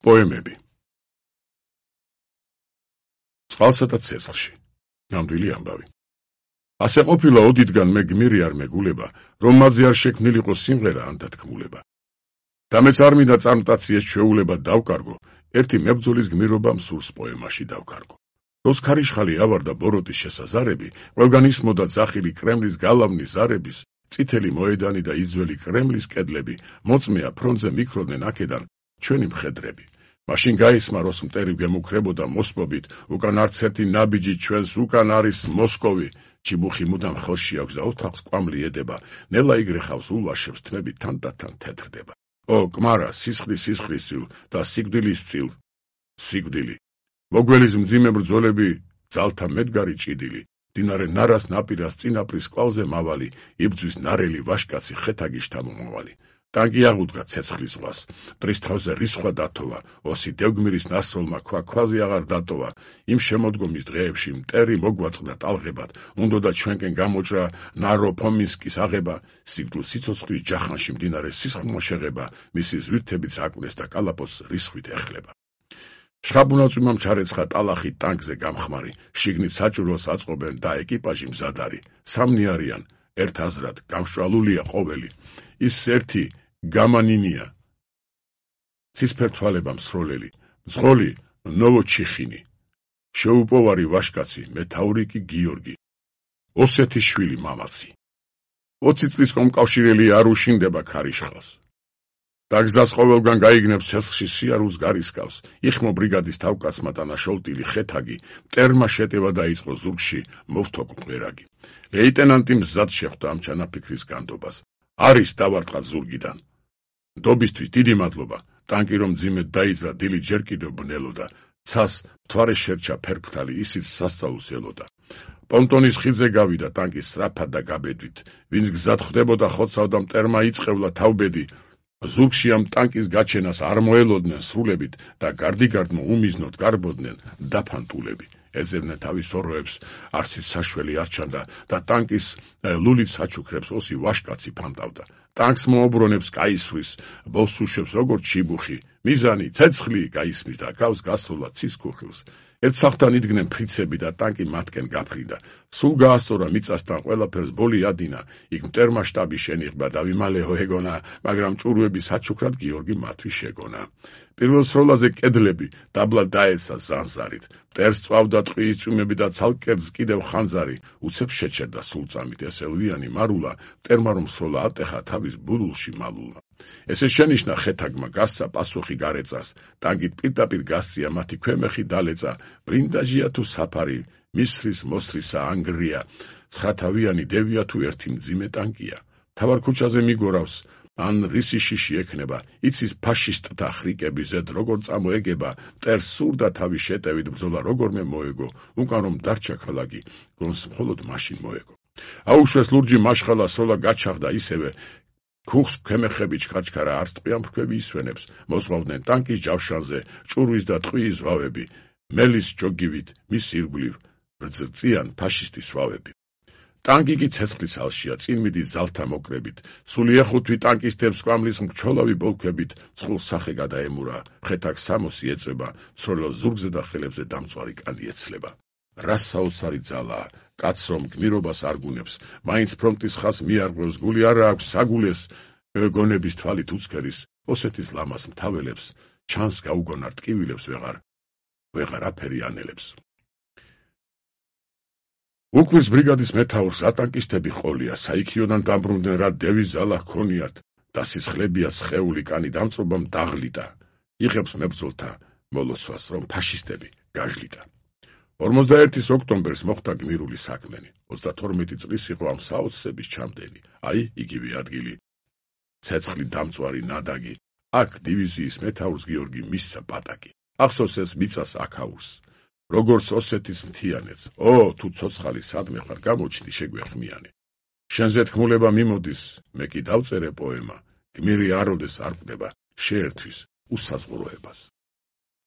პოემები. წყალსა და ცეცხლში. ნამდვილი ამბავი. ასე ყოფილა ოდითგან მე გმირი არ მეგულება, რომ მათზე არ შექმნილიყო სიმღერა ან დათქმულება. და მეც არ მინდა წარმტაციეს ჩვეულება დავკარგო, ერთი მებრძოლის გმირობამ სურს პოემაში დავკარგო. როს ქარიშხალი ავარდა ბოროტის შესაზარები, ყველგან ისმოდა ძახილი კრემლის გალავნის ზარების, წითელი მოედანი და იძველი კრემლის კედლები, მოწმეა ფრონტზე მიქროდნენ აქედან ჩვენი მხედრები. მაშინ გაისმა როს მტერი გემუქრებოდა მოსპობით, უკან არც ერთი ნაბიჯი ჩვენს უკან არის მოსკოვი, ჩიბუხი მუდამ ხელში აქვს და ოთახს კვამლი ედება, ნელა იგრეხავს ულვაშებს თმები თან და თან თეთრდება. ო კმარა, სისხლის წილ და სიკვდილის წილ, სიკვდილი. მოგველის მძიმე ბრძოლები, ძალთა მედგარი ჭიდილი, დინარე ნარას ნაპირას წინაპრის კვალზე მავალი, იბძვის ნარელი ვაშკაცი ხეთაგი შთამომავალი. ტანკი აღუდგა ცეცხლის ზღვას, მტრის თავზე რისხვა დათოვა, ოსი დევგმირის ნასროლმა ქვაზე აღარ დატოვა, იმ შემოდგომის დღეებში მტერი მოგვაწყდა ტალღებად, უნდოდა ჩვენკენ გამოჭრა ნარო-ფომინსკის აღება, სიკვდილ სიცოცხლის ჯახანში მდინარე სისხლმა შეღება, მისი ზვირთებიც აკვდეს და კალაპოტს რისხვით ეხლება. შხაბუნაწვიმამ ჩარეცხა ტალახი ტანკზე გამხმარი, შიგნით საჭურველს აწყობენ და ეკიპაჟი მზადარი, სამნი არიან, ერთ აზრად გამშვალულია ყოველი, ის ერთი გამანინია. ცისფერთვალება მსროლელი, მძღოლი ნოვოჩიხინი, შეუპოვარი ვაშკაცი, მეთაური კი გიორგი, ოსეთის შვილი მამაცი. 20 წლის კომკავშირელი არ უშინდება ქარიშხალს. დაგზას ყოველგან გაიგნებს ცეცხლში სიარულს გარისკავს, იხმო ბრიგადის თავკაცმა დანაშოლტილი ხეთაგი, მტერმა შეტევა დაიწყო ზურგში, მოვთო მღერაგი. ლეიტენანტი მზად შეხვდა ამ ჩანაფიქრის განდობას. არის დავარტყა ზურგიდან. ნდობისთვის დიდი მადლობა, ტანკი რომ მძიმედ დაიძრა, დილით ჯერ კიდევ ბნელოდა, ცას მთვარე შერჩა ფერფთალი, ისიც სასწაულს ელოდა. პონტონის ხიდზე გავიდა ტანკი სწრაფად და გაბედვით, ვინც გზად ხვდებოდა ხოცავდა მტერმა იწყევლა თავბედი, ზურგში ამ ტანკის გაჩენას არ მოელოდნენ სრულებით და გარდიგარდმო უმიზნოდ გარბოდნენ დაფანტულები. ეძებდნენ თავის ოროებს, არცით საშველი არ ჩანდა და ტანკის ლულით საჩუქრებს ოსი ვაშკაცი ფანტავდა. ტანკს მოობრონებს კაისვრის, ბოლს უშვებს როგორც ჩიბუხი, მიზანი, ცეცხლი გაისმის და გავს გასროლა ცის ქუხილს. ერთ სახთან იდგნენ ფრიცები და ტანკი მათკენ გაფრინდა. სულ გაასწორა მიწასთან ყველაფერს ბოლი ადინა, იქ მტერმა შტაბი შენიღბა და ვიმალეო ეგონა, მაგრამ ჭურვები საჩუქრად გიორგი მათთვის შეგონა. პირველ სროლაზე კედლები დაბლა დაეცა ზანზარით, მტერს წვავდა ტყიის წვიმები და ცალკერძ კიდევ ხანძარი, უცებ შეჩერდა სულწამით ესელვიანი მარულა, მტერმა რომ სროლა ატეხა თავის ბულულში მალულა. ესე შენიშნა ხეთაგმა გასცა პასუხი გარეწას, ტანკით პირდაპირ გასწია მათი ქვემეხი დალეწა, ბრინდაჟია თუ საფარი, მისრის მოსრისა ანგრია, ცხათავიანი დევია თუ ერთი მძიმე ტანკია. თავარ ქუჩაზე მიგორავს, ან რისი შიში ექნება, იცის ფაშისტთა ხრიკები ზედ როგორ წამოეგება, მტერს სურდა თავის შეტევით ბრძოლა როგორმე მოეგო, უკან რომ დარჩა ქალაქი, გონს მხოლოდ მაშინ მოეგო. აუშვეს ლურჯი მაშხალა სროლა გაჩაღდა ისევე, ქუხს ქვემეხები ჩქარჩქარა არც ტყვიან ფრქვები ისვენებს, მოსვავდნენ ტანკის ჯავშანზე, ჭურვის და ტყვიის ზვავები, მელის ჯოგივით, მის ირგვლივ რძწიან ფაშისტის ზვავები. ტანკი კი ცეცხლის ალშია, წინ მიდის ძალთა მოკრებით, სული ეხუთვი ტანკისტებს კვამლის მრჩოლავი ბოლქვებით, წყულს სახე გადაემურა, ხეთაგს სამოსი ეწება, სროლელ ზურგზე და ხელებზე დამწვარი კანი ეცლება. რას საოცარი ძალაა, კაც რომ გმირობას არ გუნებს, მაინც ფრონტის ხას მიარღვევს, გული არა აქვს საგულეს, გონების თვალით უცქერის, ოსეთის ლამას მთაველებს, ჩანს გაუგონარ ტკივილებს ვეღარ აფერი ანელებს. უქმის ბრიგადის მეთაურს ატანკისტები ყოლია, საიქიოდან დამბრუნდნენ რა დევის ძალა ჰქონიათ, და სისხლებია სხეული კანი დამწობამ დაღლიტა, იღებს მებრძოლთა მოლოცვას, რომ ფაშისტები გაჟლიტა. 41 ოქტომბერს მოხდა გმირული საქმენი, 32 წლის იყო ამ საოცრების ჩამდენი, აი იგივე ადგილი, ცეცხლი დამწვარი ნადაგი, აქ დივიზიის მეთაურს გიორგი მისცა პატაკი, ახსოვს ეს მიწას აქაურს, როგორც ოსეთის მთიანეთს, თუ ცოცხალი სადმე ხარ გამოჩნდი შეგვეხმიანი. შენზე თქმულება მიმოდის, მე კი დავწერე პოემა, გმირი აროდეს არ ყვდება შეერთვის უსაზღვროებას.